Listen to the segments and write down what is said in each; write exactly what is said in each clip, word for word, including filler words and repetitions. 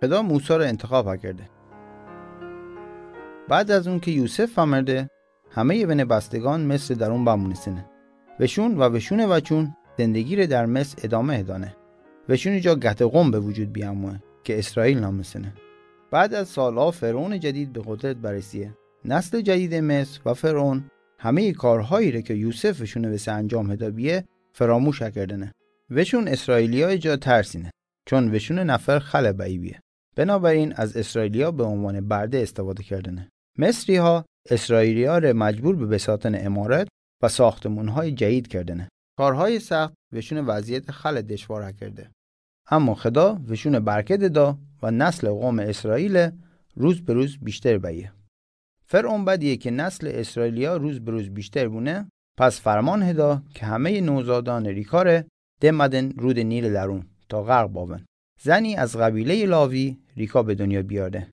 خدا موسی را انتخاب کرده. بعد از اون که یوسف فمرده، همهٔ ون بستگان مصر درون بمونستنه. وشون و وشون بچون زندگی ره در مصر ادامه دانه. وشون جا گت قوم به وجود بیاموه که اسرائیل نامستنه. بعد از سالها فرعون جدید به قدرت برسیه. نسل جدید مصر و فرعون همهٔ کارهایی ره که یوسف وشون وسه انجام هدا بیه فراموش کردنه. وشون اسرائیلیای جا ترسینه، چون وشون نفر خل بایی بیه. بنابراین از اسرائیلیا به عنوان برده استفاده کردنه. مصری‌ها اسرائیلی‌ها ره مجبور به بساتن عمارت و ساختمون‌های جدید کردنه. کارهای سخت وشون وضعیت خل دشوار کرده. اما خدا وشون برکت دا و نسل قوم اسرائیل روز به روز بیشتر بیه. فرعون بدیه که نسل اسرائیلیا روز به روز بیشتر بونه، پس فرمان هدا که همهٔ نوزادان ریکا ره دمدن رود نیل درون تا غرق باون. زنی از قبیلهٔ لاوی ریکا به دنیا بیاره.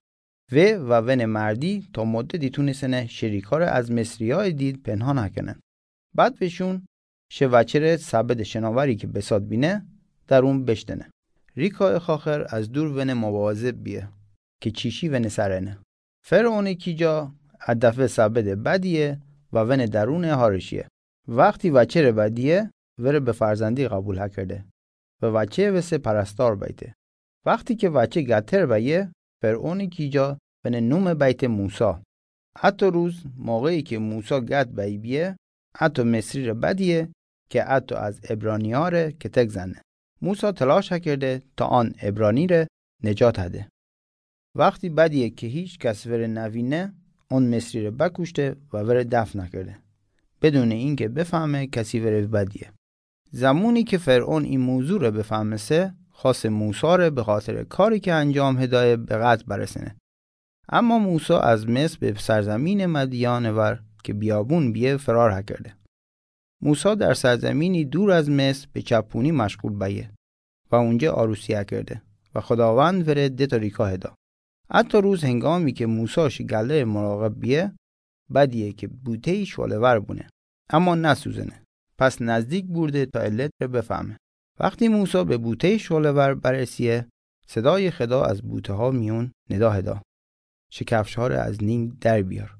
و و ون مردی تا مدتی تونستنه شه ریکا ره از مصریای دید پنهان کنن. بعد وشون شه وچه ره سبد شناوری که بسات بینه درون بشتنه. ریکا خاخر از دور ون مواظب بیه که چیشی ون سرنه. فرعون کیجا ا دفعه سبد بدیه و ون درون هارشیه. وقتی وچه ره بدیه، وره به فرزندی قبول کرده و وچه وسه پرستار بیته. وقتی که وچه گتر بیه، فرعون کیجا ون نوم بیته موسی. اتو روز موقعی که موسی گت بی بیه، اتو مصری ره بدیه که اتو از عبرانی‌ها ره کتک زنه. موسی تلاش کرده تا آن عبرانی ره نجات هده. وقتی بدیه که هیچ کس وره نوینه، آن مصری ره بکشته و وره دفن کرده، بدون اینکه بفهمه کسی وره بدیه. زمانی که فرعون این موضوع ره بفهمسه، خواست موسی ره به خاطر کاری که انجام هدایه به قتل برسنه. اما موسی از مصر به سرزمین مدیان ور که بیابون بیه فرار کرده. موسی در سرزمینی دور از مصر به چپونی مشغول بیه و اونجا عروسی کرده و خداوند وره ده تا ریکا هدا. اتو روز هنگامی که موسی شه گله مراقب بیه، بدیه که بوته‌ای شعله‌ور بونه، اما نسوزنه. پس نزدیک بورده تا علت ره بفهمه. وقتی موسی به بوته‌ای شعله‌ور برسیه، صدای خدا از بوته‌ها میون ندا هدا: شکفش‌ها ره از نین در بیار،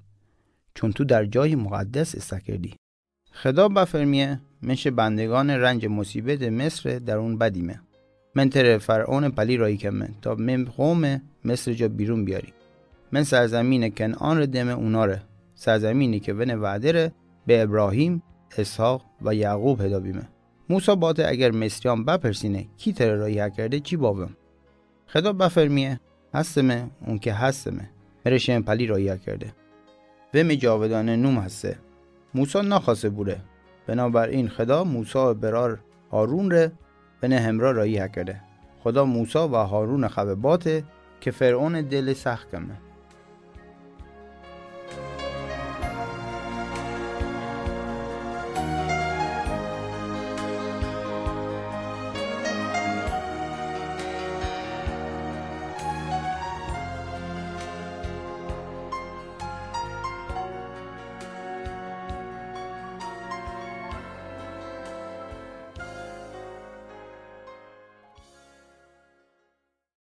چون تو در جای مقدس ایسا کردی. خدا بفرمیه: من شه بندگان رنج مصیبت مصر درون بدیمه. من تره فرعون پلی راهی کمه تا من قوم مصر جا بیرون بیاری. من سرزمین کنعان ره دمه اونا ره، سرزمینی که ون وعده ره به ابراهیم، اسحاق و یعقوب هدا بیمه. موسی باته: اگر مصریان بپرسینه کی تره راهی کرده، چی باوم؟ خدا بفرمیه: هستمه، اون که هستمه، مره شمه پلی راهی کرده و می جاودانه نوم هسته. موسی نخواسته بوره، بنابراین خدا موسی برار هارون ره ون همرا راهی کرده. خدا موسی و هارون خوه باته که فرعون دل سخت کمه.